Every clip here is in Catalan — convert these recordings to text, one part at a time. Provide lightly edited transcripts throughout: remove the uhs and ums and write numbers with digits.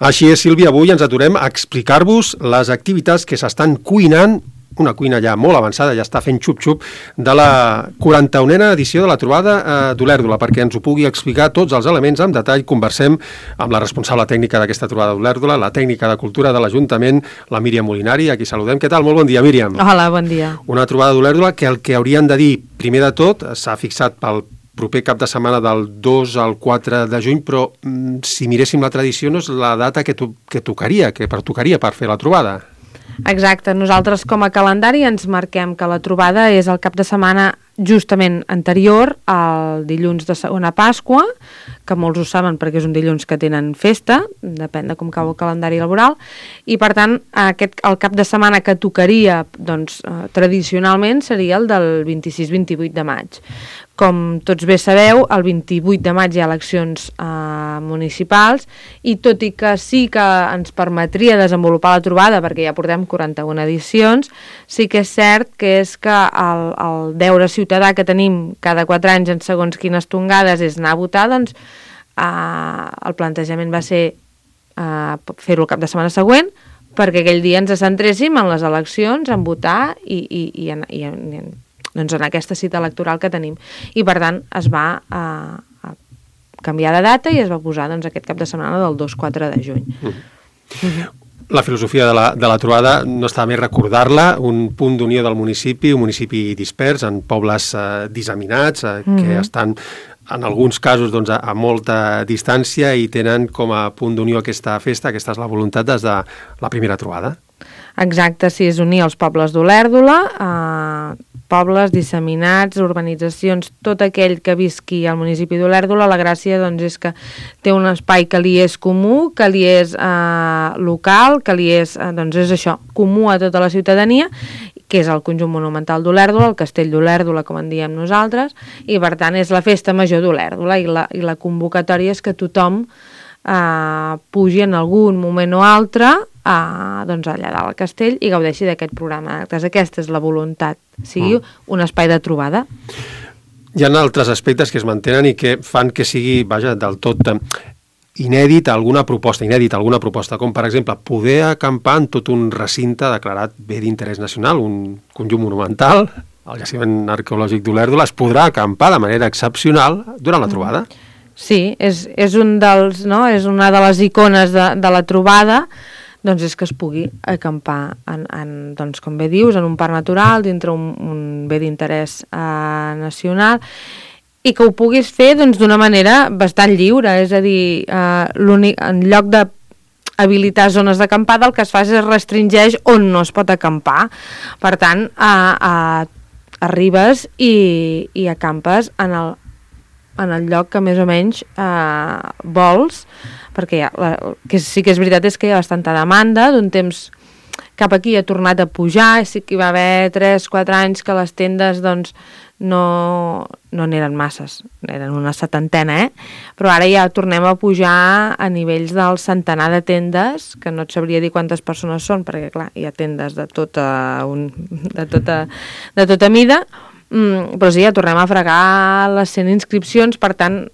Així és, Sílvia, avui ens aturem a explicar-vos les activitats que s'estan cuinant, una cuina ja molt avançada, ja està fent xup-xup, de la 41a edició de la trobada d'Olèrdola. Perquè ens ho pugui explicar tots els elements en detall, conversem amb la responsable tècnica d'aquesta trobada d'Olèrdola, la tècnica de cultura de l'Ajuntament, la Míriam Molinari, a qui saludem. Què tal? Molt bon dia, Míriam. Hola, bon dia. Una trobada d'Olèrdola que el que haurien de dir, primer de tot, s'ha fixat pel proper cap de setmana del 2 al 4 de juny, però si miréssim la tradició no és la data que tocaria per fer la trobada. Exacte, nosaltres com a calendari ens marquem que la trobada és el cap de setmana justament anterior al dilluns de segona Pasqua, que molts ho saben perquè és un dilluns que tenen festa, depèn de com cau el calendari laboral, i per tant el cap de setmana que tocaria tradicionalment seria el del 26-28 de maig. Com tots bé sabeu, el 28 de maig hi ha eleccions municipals i tot i que sí que ens permetria desenvolupar la trobada, perquè ja portem 41 edicions, sí que és cert que el deure ciutadà que tenim cada 4 anys en segons quines tongades és anar a votar, doncs el plantejament va ser fer-ho el cap de setmana següent, perquè aquell dia ens centréssim en les eleccions, en votar i en aquesta cita electoral que tenim. I per tant es va canviar de data i es va posar aquest cap de setmana del 2-4 de juny. La filosofia de la trobada no està més recordar-la, un punt d'unió del municipi, un municipi dispers en pobles disseminats que estan en alguns casos a molta distància i tenen com a punt d'unió aquesta festa. Aquesta és la voluntat des de la primera trobada. Exacte, sí, és unir els pobles d'Olèrdola, pobles disseminats, urbanitzacions, tot aquell que visqui al municipi d'Olèrdola. La gràcia és que té un espai que li és comú, que li és local, que li és, és això, comú a tota la ciutadania, que és el conjunt monumental d'Olèrdola, el castell d'Olèrdola, com en diem nosaltres, i per tant és la festa major d'Olèrdola i la convocatòria és que tothom pugi en algun moment o altre allà dalt al castell i gaudeixi d'aquest programa d'actes. Aquesta és la voluntat, sigui un espai de trobada. Hi ha altres aspectes que es mantenen i que fan que sigui, del tot inèdita alguna proposta, com per exemple poder acampar en tot un recinte declarat bé d'interès nacional, un conjunt monumental, el jaciment arqueològic d'Olèrdola. Es podrà acampar de manera excepcional durant la trobada? Sí, és és una de les icones de la trobada, és que es pugui acampar com bé dius, en un parc natural, dintre un bé d'interès nacional, i que ho puguis fer d'una manera bastant lliure, és a dir, en lloc d'habilitar zones d'acampada, el que es fa és restringeix on no es pot acampar. Per tant, arribes i acampes en el lloc que més o menys vols, perquè que sí que és veritat és que hi ha bastanta demanda. D'un temps cap aquí ha tornat a pujar, sí que hi va haver 3-4 anys que les tendes no n'eren masses, eren una setantena, però ara ja tornem a pujar a nivells del centenar de tendes, que no et sabria dir quantes persones són, perquè clar, hi ha tendes de tota mida, però sí, ja tornem a fregar les 100 inscripcions. Per tant,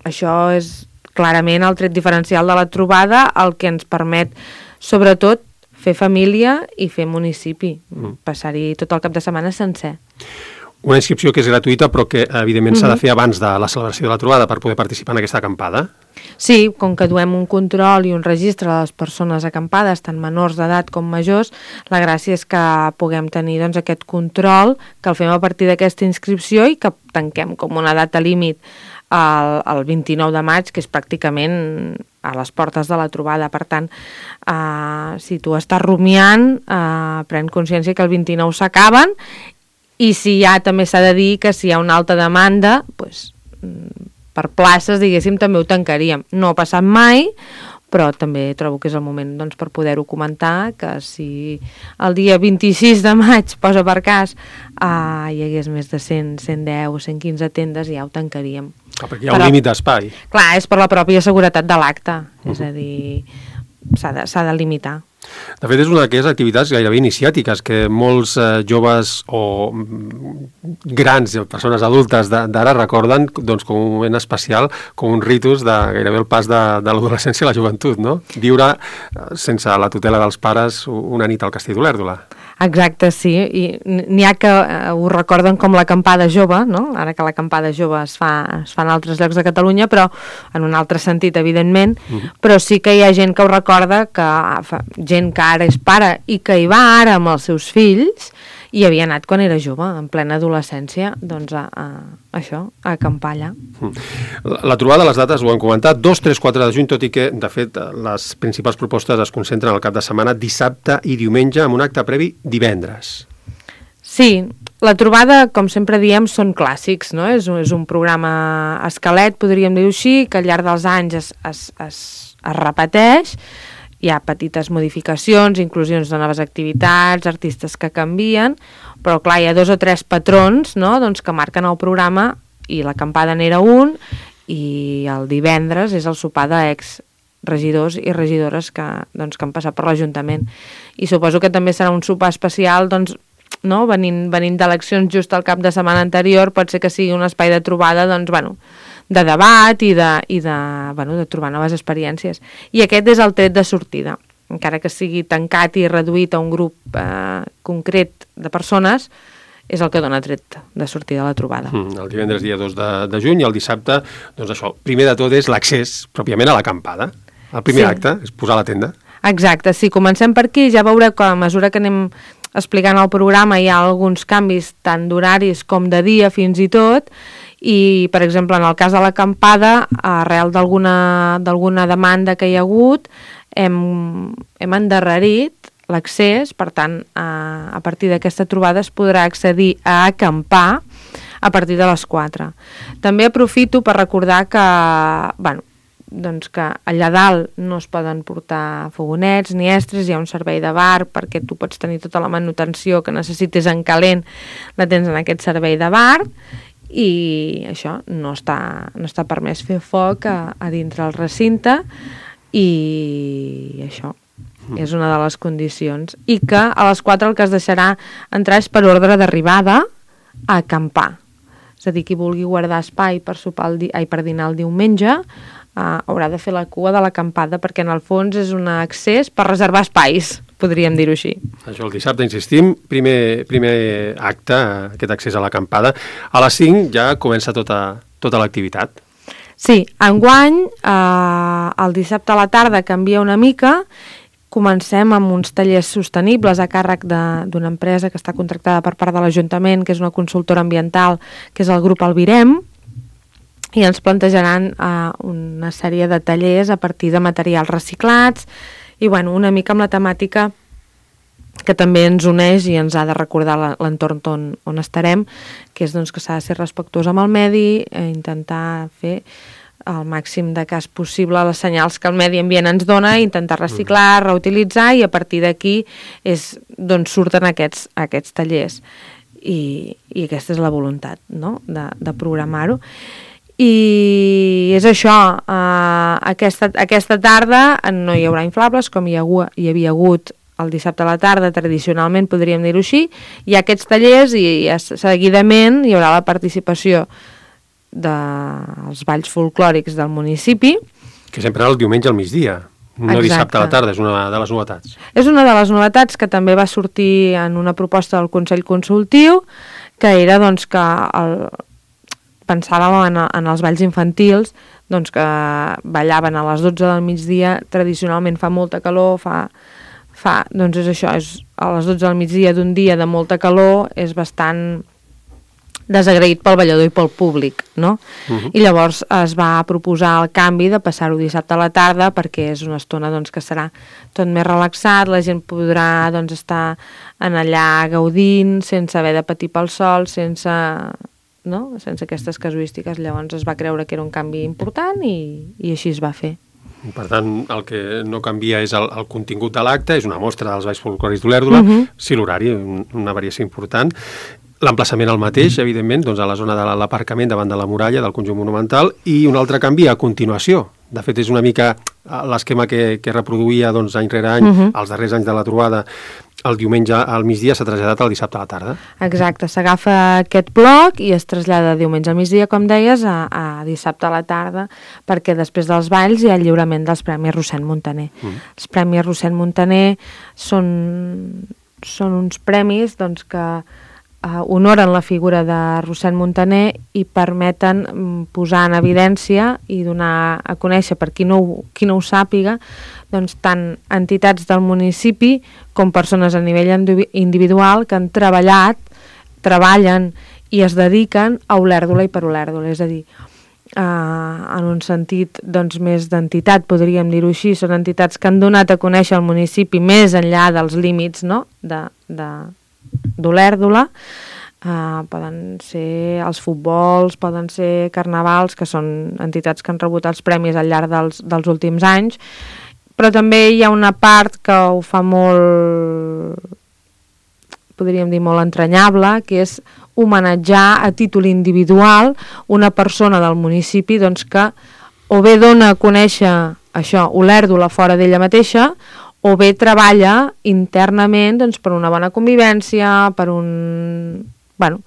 això és clarament el tret diferencial de la trobada, el que ens permet, sobretot, fer família i fer municipi, passar-hi tot el cap de setmana sencer. Una inscripció que és gratuïta, però que evidentment s'ha de fer abans de la celebració de la trobada per poder participar en aquesta acampada? Sí, com que duem un control i un registre de les persones acampades, tant menors d'edat com majors, la gràcia és que puguem tenir aquest control, que el fem a partir d'aquesta inscripció i que tanquem com una data límit el 29 de maig, que és pràcticament a les portes de la trobada. Per tant, si tu estàs rumiant, pren consciència que el 29 s'acaben, i si ja també s'ha de dir que si hi ha una alta demanda, per places, diguéssim, també ho tancaríem. No ha passat mai, però també trobo que és el moment per poder-ho comentar, que si el dia 26 de maig, posa per cas, hi hagués més de 100, 110 o 115 tendes, ja ho tancaríem. Perquè hi ha un límit d'espai. Clar, és per la pròpia seguretat de l'acte, és a dir, s'ha de limitar. De fet, és una d'aquelles activitats gairebé iniciàtiques que molts joves o grans, persones adultes d'ara recorden doncs, com un moment especial, com un ritus de gairebé el pas de l'adolescència a la joventut, no? Viure sense la tutela dels pares una nit al Castell d'Olèrdola. Exacte, sí, i n'hi ha que ho recorden com l'acampada jove, no? Ara que l'acampada jove es fa en altres llocs de Catalunya, però en un altre sentit, evidentment, però sí que hi ha gent que ho recorda, gent que ara és pare i que hi va ara amb els seus fills i havia anat quan era jove, en plena adolescència, doncs a acampar allà. La trobada, les dates ho han comentat, 2, 3, 4 de juny, tot i que, de fet, les principals propostes es concentren al cap de setmana, dissabte i diumenge, amb un acte previ divendres. Sí, la trobada, com sempre diem, són clàssics, no? És un programa esquelet, podríem dir-ho així, que al llarg dels anys es repeteix. Hi ha petites modificacions, inclusions de noves activitats, artistes que canvien, però clar, hi ha 2 o 3 patrons, no? Doncs que marquen el programa, i l'acampada n'era un, i el divendres és el sopar d'ex-regidors i regidores que han passat per l'Ajuntament. I suposo que també serà un sopar especial, doncs, no? Venint d'eleccions just al cap de setmana anterior, pot ser que sigui un espai de trobada, doncs, de debat i de trobar noves experiències. I aquest és el tret de sortida. Encara que sigui tancat i reduït a un grup concret de persones, és el que dona tret de sortida de la trobada. El divendres dia 2 de juny i el dissabte, doncs això, primer de tot és l'accés pròpiament a l'acampada. El primer acte és posar la tenda. Exacte, sí, comencem per aquí, ja veureu que a mesura que anem explicant el programa hi ha alguns canvis tant d'horaris com de dia fins i tot, i, per exemple, en el cas de l'acampada, arrel d'alguna demanda que hi ha hagut, hem endarrerit l'accés, per tant, a partir d'aquesta trobada es podrà accedir a acampar a partir de les 4. També aprofito per recordar que, doncs que allà dalt no es poden portar fogonets ni estres, hi ha un servei de bar perquè tu pots tenir tota la manutenció que necessites en calent, la tens en aquest servei de bar, i això, no està permès fer foc a dintre el recinte, i això és una de les condicions. I que a les 4 el que es deixarà entrar és per ordre d'arribada a acampar. És a dir, qui vulgui guardar espai per dinar el diumenge haurà de fer la cua de l'acampada, perquè en el fons és un accés per reservar espais, podríem dir-ho així. Això, el dissabte, insistim, primer acte, aquest accés a l'acampada. A les 5 ja comença tota l'activitat. Sí, enguany, el dissabte a la tarda canvia una mica. Comencem amb uns tallers sostenibles a càrrec d'una empresa que està contractada per part de l'Ajuntament, que és una consultora ambiental, que és el grup Albirem, i ens plantejaran una sèrie de tallers a partir de materials reciclats i una mica amb la temàtica que també ens uneix i ens ha de recordar l'entorn on estarem, que és que s'ha de ser respectuós amb el medi, intentar fer el màxim de cas possible les senyals que el medi ambient ens dona, intentar reciclar, reutilitzar, i a partir d'aquí és d'on surten aquests tallers. I aquesta és la voluntat, no?, de programar-ho. I és això, aquesta tarda no hi haurà inflables com hi havia hagut el dissabte a la tarda, tradicionalment podríem dir-ho així, hi ha aquests tallers i seguidament hi haurà la participació dels balls folclòrics del municipi. Que sempre el diumenge al migdia, no dissabte a la tarda, és una de les novetats. És una de les novetats que també va sortir en una proposta del Consell Consultiu, que era que pensàvem en els balls infantils, que ballaven a les 12 del migdia, tradicionalment fa molta calor, doncs és això, a les 12 del migdia d'un dia de molta calor, és bastant desagraït pel ballador i pel públic, no? I llavors es va proposar el canvi de passar-ho dissabte a la tarda, perquè és una estona que serà tot més relaxat, la gent podrà estar allà gaudint, sense haver de patir pel sol, sense aquestes casuístiques. Llavors es va creure que era un canvi important i així es va fer. Per tant, el que no canvia és el contingut de l'acte, és una mostra dels balls folclòrics d'Olèrdola, sí, l'horari, una variació important. L'emplaçament el mateix, evidentment, a la zona de l'aparcament davant de la muralla del conjunt monumental, i un altre canvi a continuació De fet, és una mica l'esquema que reproduïa doncs, any rere any, els darrers anys de la trobada. El diumenge al migdia s'ha traslladat al dissabte a la tarda. Exacte, s'agafa aquest bloc i es trasllada diumenge al migdia, com deies, a dissabte a la tarda, perquè després dels balls hi ha el lliurament dels Premis Rossend Muntaner. Els Premis Rossend Muntaner són uns premis doncs, que honoren la figura de Rossend Muntaner i permeten posar en evidència i donar a conèixer, per qui no ho sàpiga, doncs, tant entitats del municipi com persones a nivell individual que han treballen i es dediquen a Olèrdola i per Olèrdola. És a dir, en un sentit doncs, més d'entitat, podríem dir-ho així, són entitats que han donat a conèixer el municipi més enllà dels límits, no?, d'Olèrdola. Poden ser els futbols, poden ser carnavals, que són entitats que han rebut els premis al llarg dels últims anys, però també hi ha una part que ho fa molt, podríem dir, molt entranyable, que és homenatjar a títol individual una persona del municipi doncs, que o bé dona a conèixer això, Olèrdola fora d'ella mateixa, o bé treballa internament doncs, per una bona convivència, pel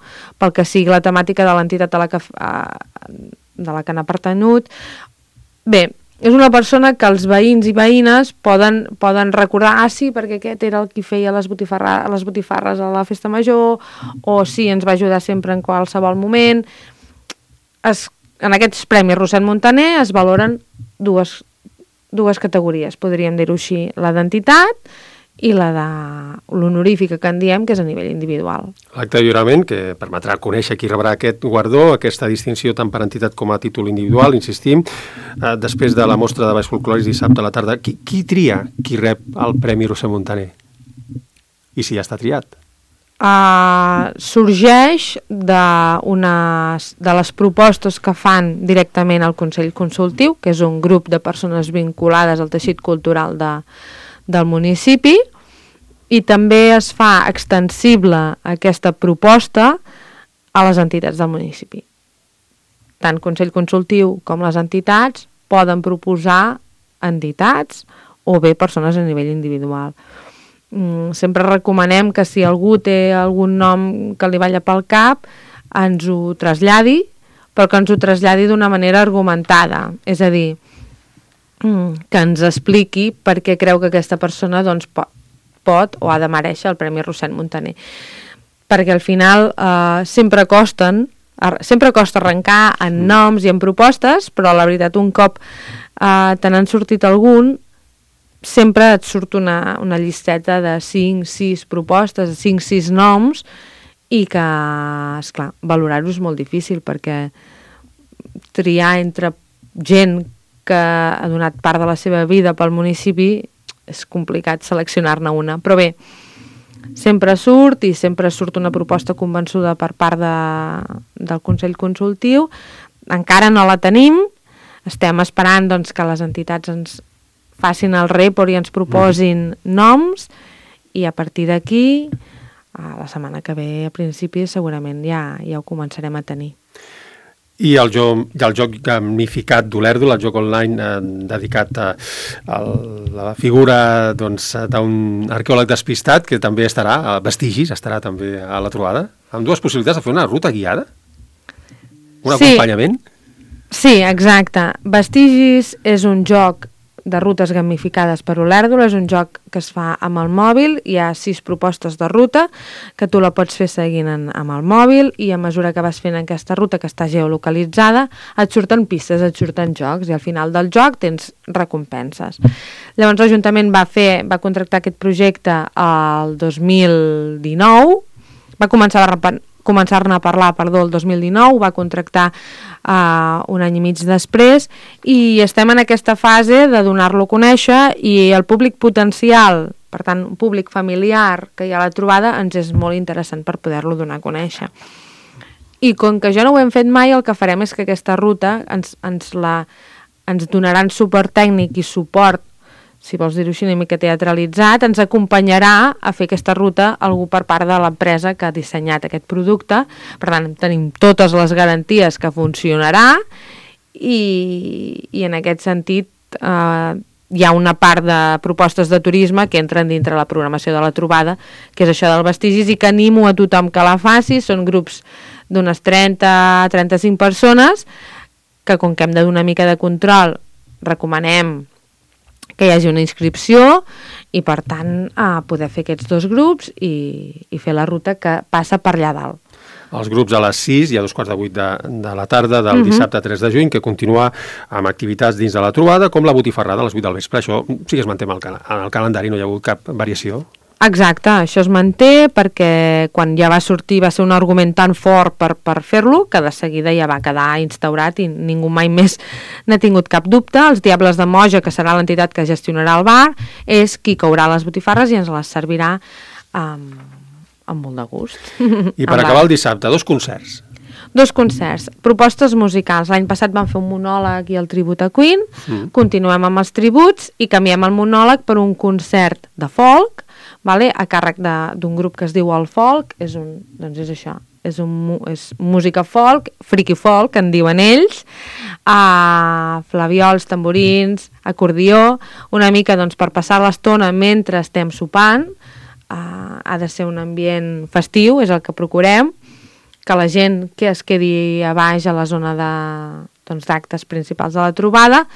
que sigui la temàtica de l'entitat de la que n'ha pertanyut. Bé, és una persona que els veïns i veïnes poden recordar, sí, perquè aquest era el qui feia les botifarres a la festa major, o sí, ens va ajudar sempre en qualsevol moment. En aquests Premis Rossend Muntaner es valoren dues categories, podríem dir-ho així, la d'entitat i la de l'honorífica que en diem, que és a nivell individual. L'acte de lliurament, que permetrà conèixer qui rebrà aquest guardó, aquesta distinció tant per entitat com a títol individual, insistim, després de la mostra de balls folclòrics dissabte a la tarda. Qui tria qui rep el Premi Rossend Muntaner? I si ja està triat? Sorgeix de les propostes que fan directament al Consell Consultiu, que és un grup de persones vinculades al teixit cultural del municipi, i també es fa extensible aquesta proposta a les entitats del municipi. Tant Consell Consultiu com les entitats poden proposar entitats o bé persones a nivell individual. Sempre recomanem que si algú té algun nom que li balla pel cap, ens ho traslladi, però que ens ho traslladi d'una manera argumentada, és a dir, que ens expliqui per què creu que aquesta persona doncs, pot o ha de merèixer el Premi Rossend Muntaner. Perquè al final sempre costa arrencar en noms i en propostes, però la veritat un cop te n'han sortit algun, sempre et surt una llisteta de 5-6 propostes, 5-6 noms, i que, esclar, valorar-ho és molt difícil, perquè triar entre gent que ha donat part de la seva vida pel municipi és complicat seleccionar-ne una. Però bé, sempre surt una proposta convençuda per part del Consell Consultiu. Encara no la tenim, estem esperant doncs, que les entitats ens facin el report i ens proposin noms, i a partir d'aquí, la setmana que ve, a principi, segurament ja ho començarem a tenir. I el joc gamificat d'Olèrdola, el joc online dedicat a la figura d'un arqueòleg despistat, que també estarà, a Vestigis, estarà també a la trobada, amb dues possibilitats de fer una ruta guiada? Un acompanyament? Sí, exacte. Vestigis és un joc de rutes gamificades per Olèrdola, és un joc que es fa amb el mòbil, hi ha 6 propostes de ruta que tu la pots fer seguint amb el mòbil, i a mesura que vas fent aquesta ruta que està geolocalitzada et surten pistes, et surten jocs, i al final del joc tens recompenses. Llavors l'Ajuntament va contractar aquest projecte el 2019, va començar-ne a parlar, el 2019, va contractar un any i mig després, i estem en aquesta fase de donar-lo a conèixer, i el públic potencial, per tant, un públic familiar que hi ha a la trobada, ens és molt interessant per poder-lo donar a conèixer. I com que jo no ho hem fet mai, el que farem és que aquesta ruta ens donaran suport tècnic i suport, si vols dir-ho així, una mica teatralitzat, ens acompanyarà a fer aquesta ruta algú per part de l'empresa que ha dissenyat aquest producte. Per tant, tenim totes les garanties que funcionarà, i en aquest sentit hi ha una part de propostes de turisme que entren dintre la programació de la trobada, que és això del vestigis, i que animo a tothom que la faci. Són grups d'unes 30-35 persones que, com que hem de donar una mica de control, recomanem que hi hagi una inscripció i, per tant, poder fer aquests 2 grups i fer la ruta que passa per allà dalt. Els grups a les 6 i a 7:45 de la tarda del dissabte 3 de juny, que continua amb activitats dins de la trobada, com la botifarrada a les 8 del vespre. Això sí que es manté en el calendari, no hi ha hagut cap variació. Exacte, això es manté perquè quan ja va sortir va ser un argument tan fort per fer-lo que de seguida ja va quedar instaurat i ningú mai més n'ha tingut cap dubte. Els Diables de Moja, que serà l'entitat que gestionarà el bar, és qui courà les botifarres i ens les servirà amb molt de gust. I per acabar el dissabte, 2 concerts. 2 concerts, propostes musicals. L'any passat vam fer un monòleg i el tribut a Queen, continuem amb els tributs i canviem el monòleg per un concert de folk, vale? A càrrec d'un grup que es diu El Folk. És això, és música folk, friki folk, en diuen ells, flaviols, tamborins, acordió, una mica per passar l'estona mentre estem sopant. Ha de ser un ambient festiu, és el que procurem, que la gent que es quedi a baix a la zona d'actes principals de la trobada,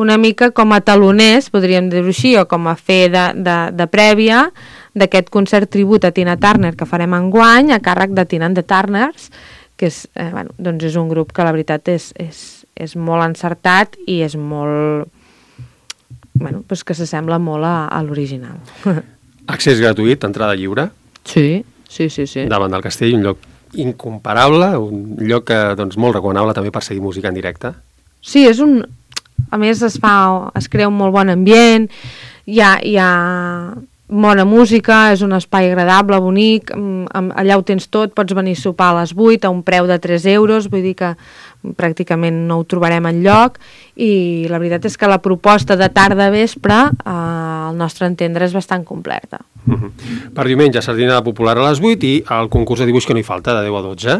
una mica com a taloners, podríem dir-ho així, o com a fer de prèvia d'aquest concert tribut a Tina Turner que farem enguany, a càrrec de Tina and the Turners, que és, és un grup que la veritat és molt encertat i és molt... que s'assembla molt a l'original. Accés gratuït, entrada lliure. Sí. Davant del castell, un lloc incomparable, un lloc que, molt recomanable també per seguir música en directe. Sí, a més es crea un molt bon ambient, hi ha bona música, és un espai agradable, bonic, allà ho tens tot, pots venir a sopar a les 8 a un preu de 3 euros, vull dir que pràcticament no ho trobarem enlloc, i la veritat és que la proposta de tarda-vespre, al nostre entendre, és bastant completa. Per diumenge, sardina popular a les 8 i el concurs de dibuix que no hi falta, de 10 a 12.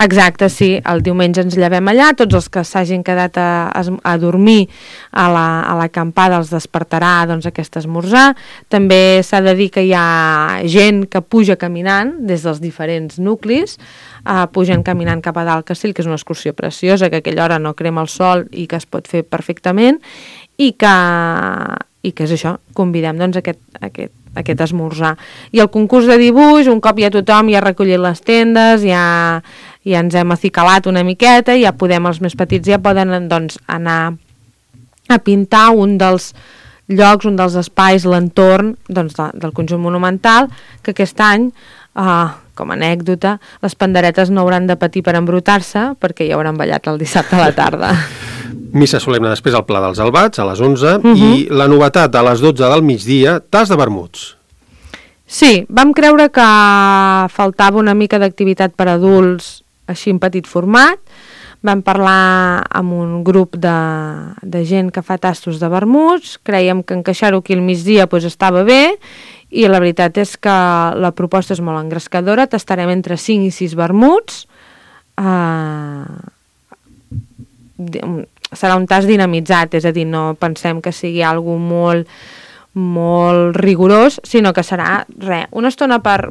Exacte, sí. El diumenge ens llevem allà, tots els que s'hagin quedat a dormir a l'acampada els despertarà aquest esmorzar. També s'ha de dir que hi ha gent que puja caminant des dels diferents nuclis, pugen caminant cap a dalt Castell, que és una excursió preciosa, que a aquella hora no crema el sol i que es pot fer perfectament, i que és això, convidem aquest esmorzar. I el concurs de dibuix, un cop ja tothom ja ha recollit les tendes, ja ens hem acicalat una miqueta, ja podem, els més petits ja poden anar a pintar un dels llocs, un dels espais, l'entorn del conjunt monumental, que aquest any, com a anècdota, les panderetes no hauran de patir per embrutar-se perquè ja hauran ballat el dissabte a la tarda. Missa solemne després al Pla dels Albats, a les 11, i la novetat a les 12 del migdia, tas de vermuts. Sí, vam creure que faltava una mica d'activitat per adults, així en petit format. Vam parlar amb un grup de gent que fa tastos de vermuts, creiem que encaixar-ho aquí al migdia estava bé, i la veritat és que la proposta és molt engrescadora, tastarem entre 5 i 6 vermuts, serà un tast dinamitzat, és a dir, no pensem que sigui algo molt rigorós, sinó que serà una estona per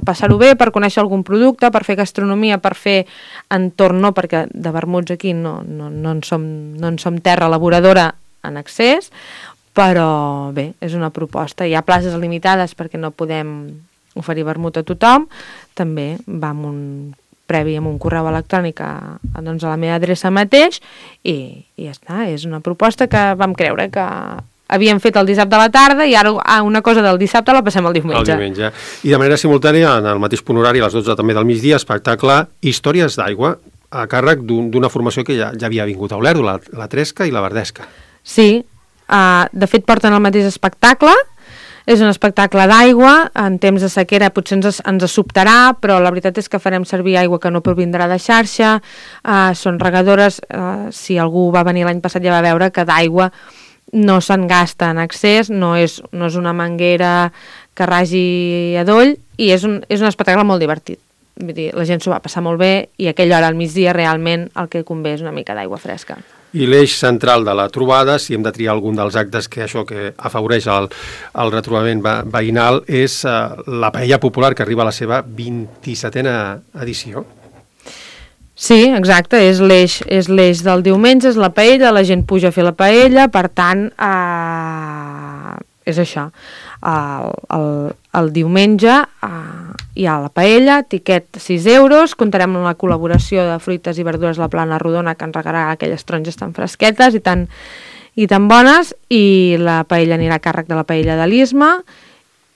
passar-ho bé, per conèixer algun producte, per fer gastronomia, per fer entorn, no, perquè de vermuts aquí no en som terra elaboradora en excés, però bé, és una proposta. Hi ha places limitades perquè no podem oferir vermut a tothom, també va amb un previ amb un correu electrònic a la meva adreça mateix, i ja està, és una proposta que vam creure que havíem fet el dissabte a la tarda i ara una cosa del dissabte la passem al diumenge. I de manera simultània, en el mateix punt horari, a les 12 també del migdia, espectacle Històries d'aigua, a càrrec d'una formació que ja havia vingut a Olèrdola, la Tresca i la Verdesca. Sí, de fet porten el mateix espectacle, és un espectacle d'aigua, en temps de sequera potser ens sobtarà, però la veritat és que farem servir aigua que no provindrà de xarxa, són regadores, si algú va venir l'any passat ja va veure que d'aigua no se'n gasta en excés, no és una manguera que ragi a doll, i és un espectacle molt divertit. vull dir, la gent s'ho va passar molt bé i a aquella hora al migdia realment el que convé és una mica d'aigua fresca. I l'eix central de la trobada, si hem de triar algun dels actes que afavoreix el retrobament veïnal, és la paella popular, que arriba a la seva 27a edició. Sí, exacte, és l'eix del diumenge, és la paella, la gent puja a fer la paella, per tant, és això. El diumenge hi ha la paella, tiquet 6 euros, comptarem amb la col·laboració de fruites i verdures La Plana Rodona, que ens regalarà aquelles taronges tan fresquetes i tan bones, i la paella anirà a càrrec de la paella de l'Isma,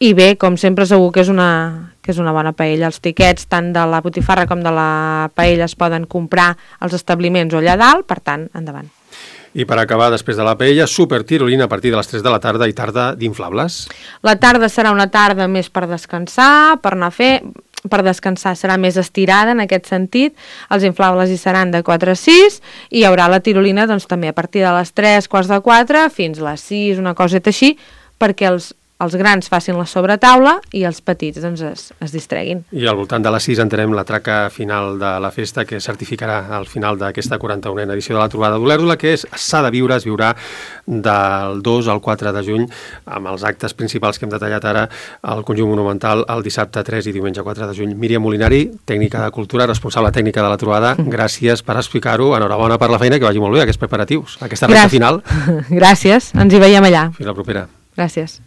i bé, com sempre, segur que és una bona paella. Els tiquets tant de la botifarra com de la paella es poden comprar als establiments o allà dalt, per tant, endavant. I per acabar, després de la paella, supertirolina a partir de les 3 de la tarda i tarda d'inflables. La tarda serà una tarda més per descansar, per descansar serà més estirada en aquest sentit, els inflables hi seran de 4 a 6 i hi haurà la tirolina doncs, també a partir de les 3, quarts de 4 fins a les 6, una coseta així, perquè els grans facin la sobretaula i els petits doncs, es distreguin. I al voltant de les 6 entenem la traca final de la festa que certificarà al final d'aquesta 41a edició de la trobada d'Olèrdola, que s'ha de viure, es viurà del 2 al 4 de juny amb els actes principals que hem detallat ara al Conjunt Monumental el dissabte 3 i diumenge 4 de juny. Míriam Molinari, tècnica de cultura, responsable tècnica de la trobada, gràcies per explicar-ho, enhorabona per la feina, que vagi molt bé aquests preparatius, aquesta recta final. Gràcies, ens hi veiem allà. Fins la propera. Gràcies.